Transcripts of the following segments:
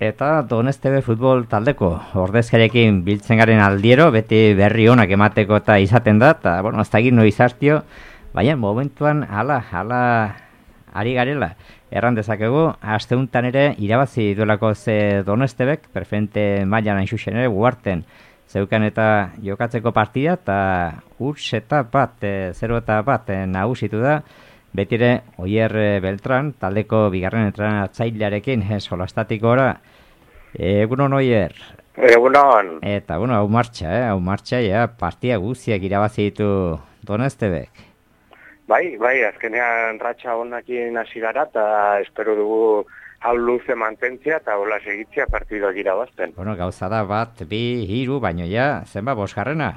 Eta Donestebe futbol taldeko ordezkariekin biltzen garen aldiero, beti berri onak emateko eta izaten da, eta, bueno, ez da egin noiz hartio, baina momentuan hala ari garela. Erran dezakegu, asteuntan ere irabazi duelako ze Donestebek, preferente mailan hain zuzen ere, Uharten zeukan eta jokatzeko partida, eta huts eta bat, 0-1 nagusitu da, betire Oier Beltran, taldeko bigarren entrenatzailearekin, solastatikora. Egunon, Oier. Egunon. Eta, bueno, hau martxa, ja, partia guztiak irabazi ditu Donestebek. Bai, azkenean ratxa honakin hasi gara, eta espero dugu hau luze mantentzia, eta hola segitzia partidoak irabazten. Bueno, gauza da bat, 2, 3, baino ja, zenba, 5.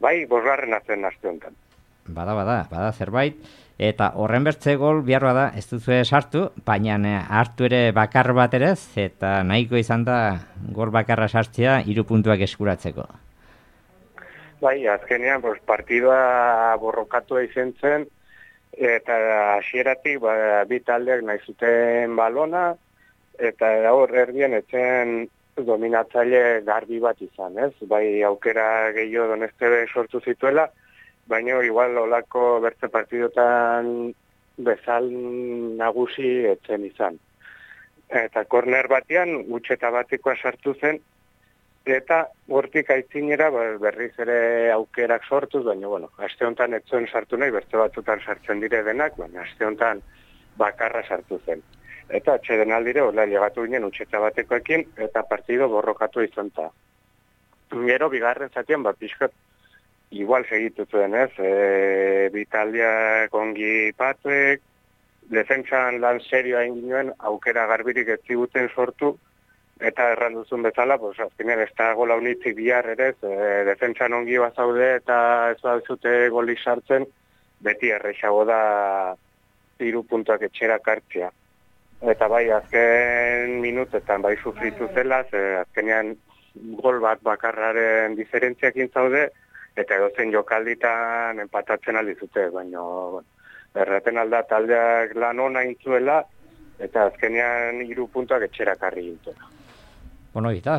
Bai, 5. zen aste honetan. Bada zerbait. Eta horren bertze gol biharra da, ez duzu sartu, baina hartu ere bakar bat ere, eta nahiko izan da gol bakarra sartzea 3 puntuak eskuratzeko. Bai, azkenean partidoa borrokatu izan zen, eta hasieratik bi taldeak nahi zuten balona, eta hor erdien etzen dominatzaile garbi bat izan, ez? Bai, aukera gehiago Donestebe sortu zituela, baina igual olako bertze partidotan bezal nagusi etzen izan. Eta korner batean, utxeta batekoa sartu zen, eta hortik aitzinera berriz ere aukerak sortuz, baina, bueno, aste honetan etzuen sartu nahi, bertze batzutan sartzen dire denak, baina aste honetan bakarra sartu zen. Eta atxeden aldire, hola, llegatu ginen utxeta batekoekin, eta partido borrokatu izan ta. Gero, bigarren zatean, pixkat, igual segitu zuen, ez? Bitaldiak ongi patuek, defentsan lan serioa inginoen, aukera garbirik ez ziguten sortu, eta erranduzun bezala, azkenean ez da gola unitzik bihar ere, defentsan ongi bazaude eta ez baduzute golik sartzen, beti errexago da 3 puntuak etxerak hartzea. Eta bai, azken minutetan bai sufritu zela, azkenean gol bat bakarraren diferentziakin zaude, eta edozen jokalditan empatatzen aldizute, baina erraten alda taldeak lan ona intzuela, eta azkenean 3 puntuak etxerak harri gintuela. Bueno, eta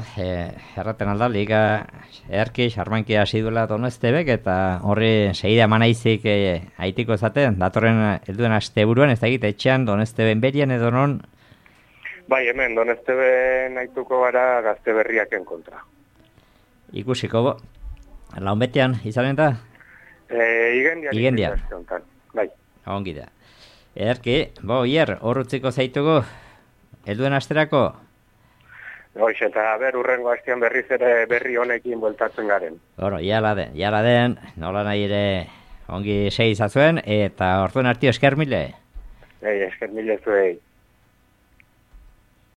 erraten alda, liga erki, xarmanki hasi duela Donestebek, eta horri segida manaizik haitiko ezaten, datorren helduen asteburuan, ez da egite etxean Donesteben berian edo non? Bai, hemen, Donesteben haituko gara Gazte Berriaken kontra. Ikusiko, launbetean izanen da? Igendian. Bai. Ongi da. Erki, Oier, horrutziko zaitugu, helduen asterako? Hoiz, eta urrengo astean berriz ere berri honekin bueltatzen garen. Bueno, jala den, nola nahi ere ongi sei izazuen, eta orduan artio esker mile. Esker mile zuei.